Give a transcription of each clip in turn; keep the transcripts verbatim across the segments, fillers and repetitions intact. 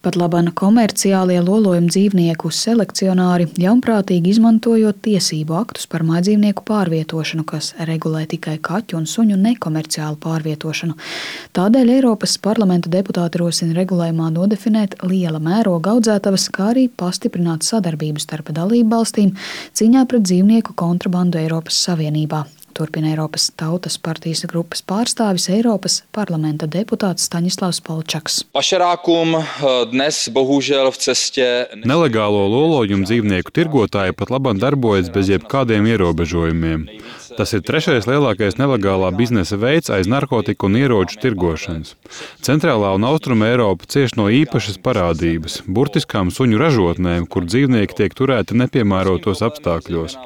Pat labāk komerciālie lolojumu dzīvnieku selekcionāri ļaunprātīgi izmantojot tiesību aktus par mājdzīvnieku pārvietošanu, kas regulē tikai kaķu un suņu nekomerciālu pārvietošanu. Tādēļ Eiropas parlamenta deputāti rosina regulējumā nodefinēt liela mēroga audzētavas, kā arī pastiprināt sadarbību starp dalībvalstīm cīņā pret dzīvnieku kontrabandu Eiropas Savienībā. Turpina Eiropas Tautas partijas grupas pārstāvis Eiropas parlamenta deputāts Staņislavs Polčaks. Nelegālo lolojumu dzīvnieku tirgotāji pat labāk darbojas bez jebkādiem ierobežojumiem. Tas ir trešais lielākais nelegālā biznesa veids aiz narkotiku un ieroču tirgošanas. Centrālā un austruma Eiropa cieš no īpašas parādības – burtiskām suņu ražotnēm, kur dzīvnieki tiek turēti nepiemērotos apstākļos.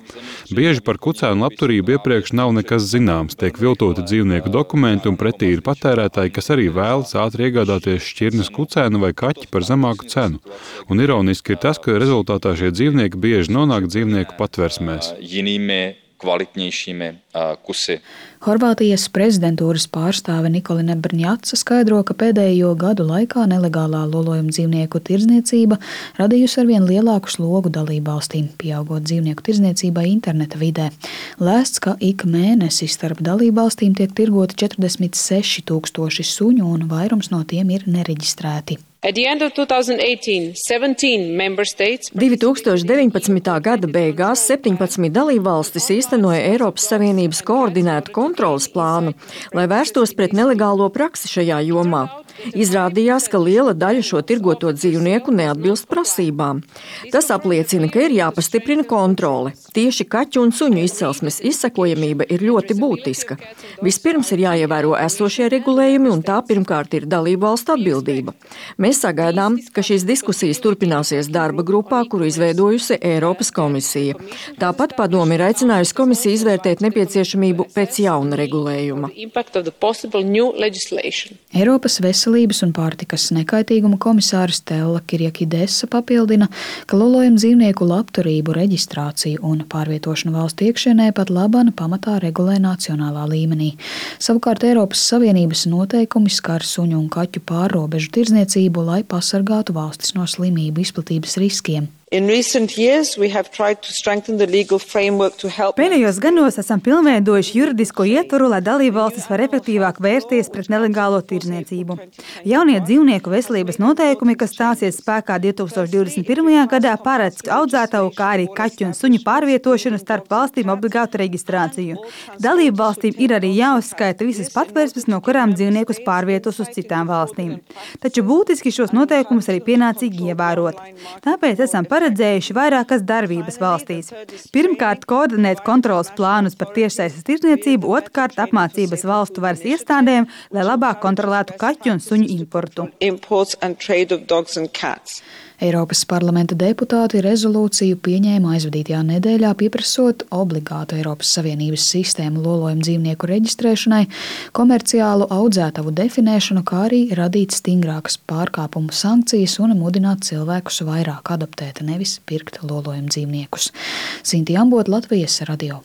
Bieži par kucēnu labturību iepriekš nav nekas zināms, tiek viltoti dzīvnieku dokumenti un pretī ir patērētāji, kas arī vēlas ātri iegādāties šķirnes kucēnu vai kaķi par zemāku cenu. Un ironiski ir tas, ka rezultātā šie dzīvnieki bieži nonāk dzīvnieku patversmēs. Horvātijas prezidentūras pārstāve Nikolina Brņaca skaidro, ka pēdējo gadu laikā nelegālā lolojumu dzīvnieku tirdzniecība radījusi arvien lielāku slogu dalībvalstīm, pieaugot dzīvnieku tirdzniecībai interneta vidē. Lēsts, ka ik mēnesi starp dalībvalstīm tiek tirgoti četrdesmit seši tūkstoši suņu un vairums no tiem ir nereģistrēti. divi tūkstoši deviņpadsmitā gada beigās septiņpadsmit dalībvalstis īstenoja Eiropas Savienības koordinētu kontroles plānu, lai vērstos pret nelegālo praksi šajā jomā. Izrādījās, ka liela daļa šo tirgoto dzīvnieku neatbilst prasībām. Tas apliecina, ka ir jāpastiprina kontrole. Tieši kaķu un suņu izcelsmes izsekojamība ir ļoti būtiska. Vispirms ir jāievēro esošie regulējumi, un tā pirmkārt ir dalībvalstu atbildība. Mēs sagaidām, ka šīs diskusijas turpināsies darba grupā, kuru izveidojusi Eiropas komisija. Tāpat padomi ir aicinājusi komisiju izvērtēt nepieciešamību pēc jauna regulējuma. Eiropas Veselības un pārtikas nekaitīguma komisārs Stella Kyriakidesa papildina, ka lolojumu dzīvnieku labturību, reģistrāciju un pārvietošanu valstu iekšienē pat labāk pamatā regulē nacionālā līmenī. Savukārt Eiropas Savienības noteikumi skar suņu un kaķu pārrobežu tirdzniecību, lai pasargātu valstis no slimību izplatības riskiem. Pēdējos gados esam pilnveidojuši juridisko ietvaru, lai dalībvalstis var efektīvāk vērsties pret nelegālo tirdzniecību. Jaunie dzīvnieku veselības noteikumi, kas stāsies spēkā divi tūkstoši divdesmit pirmajā gadā, paredz audzētavu, kā arī kaķu un suņu pārvietošanu starp valstīm obligātu reģistrāciju. Dalībvalstīm ir arī jāuzskaita visas patvērsmes, no kurām dzīvniekus pārvietos uz citām valstīm. Taču būtiski šos noteikumus arī pienācīgi ievērot. Tāpēc esam paredzējuši vairākas darbības valstīs. Pirmkārt, koordinēt kontroles plānus par tiešsaistes tirdzniecību, otrkārt, apmācības valstu varas iestādēm, lai labāk kontrolētu kaķu un suņu importu. Eiropas parlamenta deputāti rezolūciju pieņēma aizvadītajā nedēļā, pieprasot obligātu Eiropas Savienības sistēmu lolojumu dzīvnieku reģistrēšanai, komerciālu audzētavu definēšanu, kā arī radīt stingrākas pārkāpumu sankcijas un mudināt cilvēkus vairāk adoptēt, nevis pirkt lolojumu dzīvniekus. Sinti Ambot, Latvijas radio.